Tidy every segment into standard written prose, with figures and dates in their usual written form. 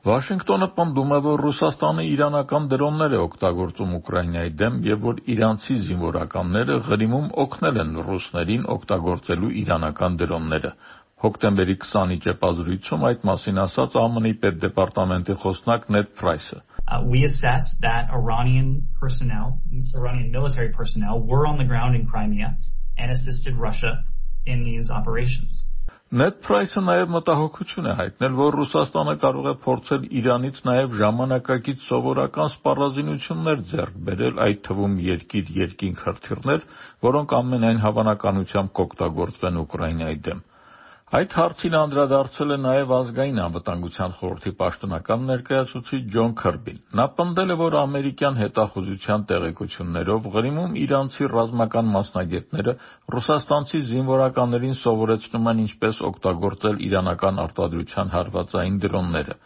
Վաշինգտոնը պնդում է, որ Ռուսաստանը իրանական դրոններ է օգտագործում Ուկրաինայի դեմ եւ որ իրանցի զինվորականները Ղրիմում օգնել են ռուսներին օգտագործելու իրանական դրոնները։ Հոկտեմբերի 20-ի ճեպազրույցում այդ մասին ասաց ԱՄՆ-ի պետդեպարտամենտի խոսնակ Նեդ Պրայսը։ We assessed that Iranian military personnel were on the ground in Crimea and assisted Russia in these operations. Նեդ Պրայսը նաև մտահոգություն է հայտնել, որ Ռուսաստանը կարող է փորձել Իրանից նաև ժամանակակից սովորական սպառազինություններ ձեռք բերել, այդ թվում երկիր-երկինք հրթիռներ, որոնք ամենայն հավանականությամբ կօգտագործվեն Ուկրաինայի դեմ։ Այդ հարցին անդրադարձել է նաև ազգային անվտանգության խորհրդի պաշտոնական ներկայացուցիչ Ջոն Քըրբին։ Նա պնդել է, որ ամերիկյան հետախուզության տեղեկություններով Ղրիմում իրանցի ռազմական մասնագետները ռուսաստանցի զինվորականներին սովորեցնում են ինչպես օգտագործել իրանական արտադրության հարվածային դրոնները։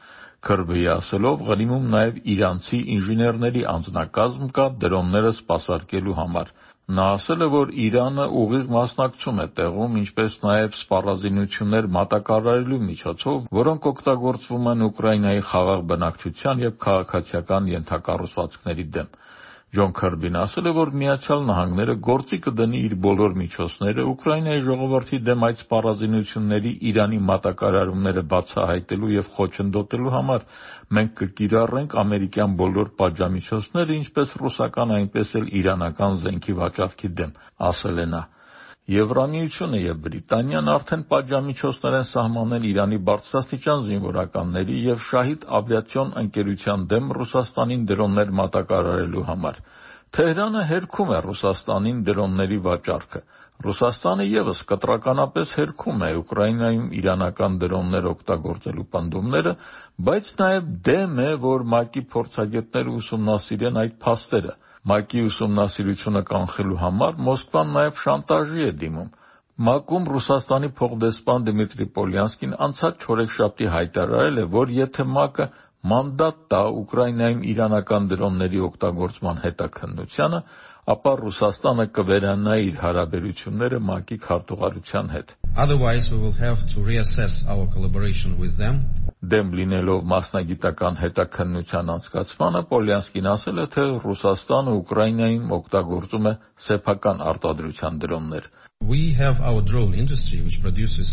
Քըրբիի ասելով, Ղրիմում նաև իրանցի ինժեներների անձնակազմ կա դրոնները սպասարկելու համար։ Նա ասել է, որ Իրանը ուղիղ մասնակցում է տեղում, ինչպես նաև սպառազինություններ մատակարարելու միջոցով, որոնք օգտագործվում են Ուկրաինայի խաղաղ բնակչության և քաղաքացիական ենթակառուցվածքների դեմ։ Ջոն Քըրբին ասել է, որ Միացյալ Նահանգները գործի կդնի իր բոլոր միջոցները Ուկրաինայի ժողովրդի դեմ այդ սպառազինությունների Իրանի մատակարարումները բացահայտելու և խոչընդոտելու համար։ Մենք կկիրառենք ամերիկյան բոլոր պատժամիջոցները, ինչպես ռուսական, այնպես էլ իրանական զենքի վաճառքի դեմ, ասել է նա։ Եվրամիությունը և Բրիտանիան արդեն պատժամիջոցներ են սահմանել Իրանի բարձրաստիճան զինվորականների և Շահիդ ավիացիոն ընկերության դեմ Ռուսաստանին դրոններ մատակարարելու համար։ Թեհրանը հերքում է Ռուսաստանին դրոնների վաճառքը։ Ռուսաստանը ևս կտրականապես հերքում է Ուկրաինայում իրանական դրոններ օգտագործելու պնդումները, բայց նաև դեմ է, որ ՄԱԿ-ի փորձագետները ուսումնասիրեն այդ փաստերը։ ՄԱԿ-ի ուսումնասիրությունը կանխելու համար Մոսկվան նաև շանտաժի է դիմում։ ՄԱԿ-ում Ռուսաստանի փոխդեսպան Դմիտրի Պոլյանսկին անցած չորեքշաբթի հայտարարել է, որ եթե ՄԱԿ-ը մանդատ տա Ուկրաինայում իրանական դրոնների օգտագործման հետաքննությանը, ապա Ռուսաստանը կվերանա իր հարաբերությունները ՄԱԿ-ի քարտուղարության հետ։ Otherwise we will have to reassess our collaboration with them. Դեմ լինելով մասնագիտական հետաքննության անցկացմանը, Պոլյանսկին ասել է, թե Ռուսաստանը Ուկրաինայում օգտագործում է սեփական արտադրության դրոններ։ We have our drone industry which produces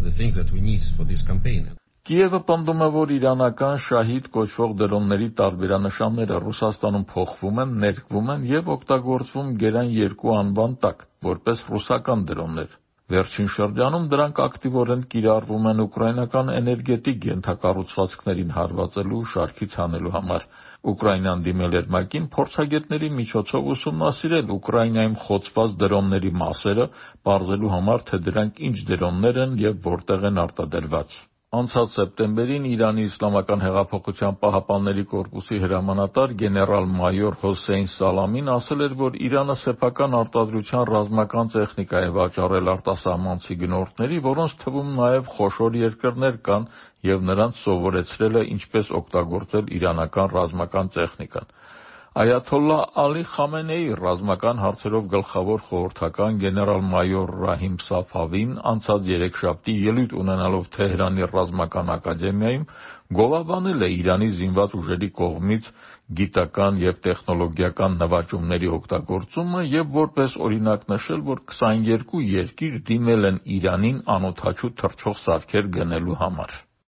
the things that we need for this campaign. Կիևը պնդում է, որ իրանական Շահիդ կոչվող դրոնների տարբերանշանները Ռուսաստանում փոխվում են, ներկվում են և օգտագործվում Գերան 2 անվան տակ, որպես ռուսական դրոններ։ Վերջին շրջանում դրանք ակտիվորեն կիրառվում են ուկրաինական էներգետիկ ենթակառուցվածքներին հարվածելու ու շարքից հանելու համար։ Ուկրաինան դիմել էր ՄԱԿ-ին փորձագետների միջոցով ուսումնասիրել Ուկրաինայում խոցված դրոնների մասերը, պարզելու համար, թե դրանք ինչ դրոններ են և որտեղ են արտադրված։ Անցած սեպտեմբերին Իրանի Իսլամական հեղափոխության պահապանների կորպուսի հրամանատար գեներալ-մայոր Հոսեյն Սալամին ասել էր, որ Իրանը սեփական արտադրության ռազմական տեխնիկա է վաճառել արտասահմանցի գնորդների, որոնց թվում նաև խոշոր երկրներ կան, և նրանց սովորեցրել է ինչպես օգտագործել իրանական ռազմական տեխնիկան։ Այաթոլլահ Ալի Խամենեի ռազմական հարցերով գլխավոր խորհրդական գեներալ-մայոր Ռահիմ Սաֆավին անցած երեքշաբթի ելույթ ունենալով Թեհրանի ռազմական ակադեմիայում գովաբանել է Իրանի զինված ուժերի կողմից գիտական և տեխնոլոգիական նվաճումների օգտագործումը և որպես օրինակ նշել, որ 22 երկիր դիմել են Իրանին անօդաչու թռչող սարքեր գնելու համար։